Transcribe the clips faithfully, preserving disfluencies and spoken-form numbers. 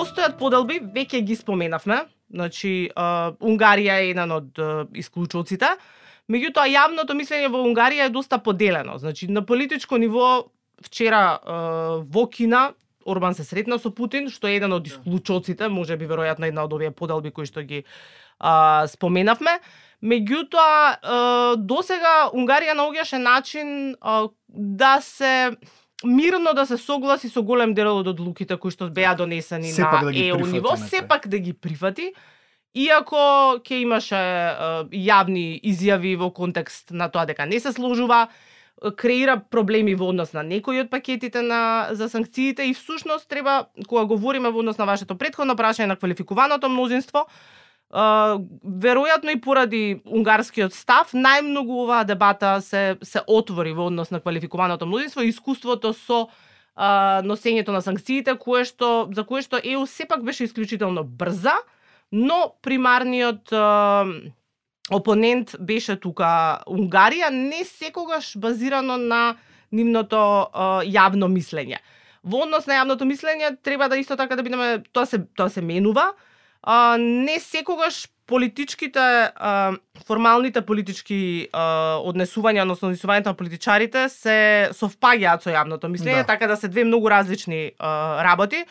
постојат поделби, веќе ги споменавме. Значи, а, Унгарија е еден од а, исклучоците. Меѓутоа, јавното мислење во Унгарија е доста поделено. Значи, на политичко ниво, вчера а, во Кина, Орбан се сретна со Путин, што е еден од исклучоците, може би веројатно една од овие поделби кои што ги а, споменавме. Меѓутоа, досега Унгарија наоѓаше начин а, да се мирно да се согласи со голем дел од одлуките кои што беа донесени сепак на да Е У ниво, сепак да ги прифати, иако ќе имаше а, јавни изјави во контекст на тоа дека не се сложува, креира проблеми во однос на некои од пакетите на за санкциите и всушност треба, кога говориме во однос на вашето претходно прашање на квалификуваното мнозинство, Uh, веројатно и поради унгарскиот став, најмногу оваа дебата се се отвори во однос на квалификуваното мнозинство и искуството со uh, носењето на санкциите, кое што за кое што Е У сепак беше исклучително брза, но примарниот uh, опонент беше тука Унгарија, не секогаш базирано на нивното uh, јавно мислење. Во однос на јавното мислење треба да исто така да бидеме, тоа се тоа се менува. Uh, не секогаш политичките, uh, формалните политички uh, однесувања, односно однесувањето на политичарите се совпаѓаат со јавното мислење, да. Така да се две многу различни uh, работи.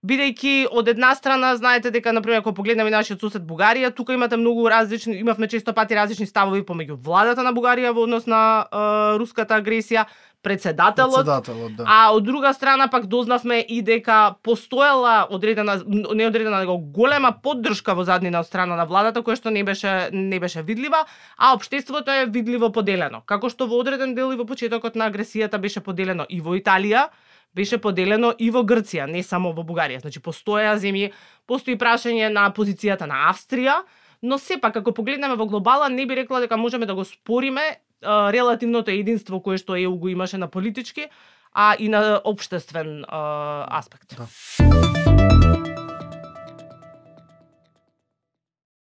Бидејќи од една страна знаете дека на пример кога погледнеме нашиот сосед Бугарија, тука имате многу различни, имавме често пати различни ставови помеѓу владата на Бугарија во однос на uh, руската агресија, председателот, председателот да. А од друга страна пак дознавме и дека постоела одредена, не одредена, него голема поддршка во заднина од страна на владата, која што не беше не беше видлива, а општеството е видливо поделено. Како што во одреден дел и во почетокот на агресијата беше поделено и во Италија, беше поделено и во Грција, не само во Бугарија. Значи постоја земји, постои прашање на позицијата на Австрија, но сепак ако погледнеме во глобала не би рекла дека можеме да го спориме релативното единство кое што Е У го имаше на политички, а и на општествен аспект. Да.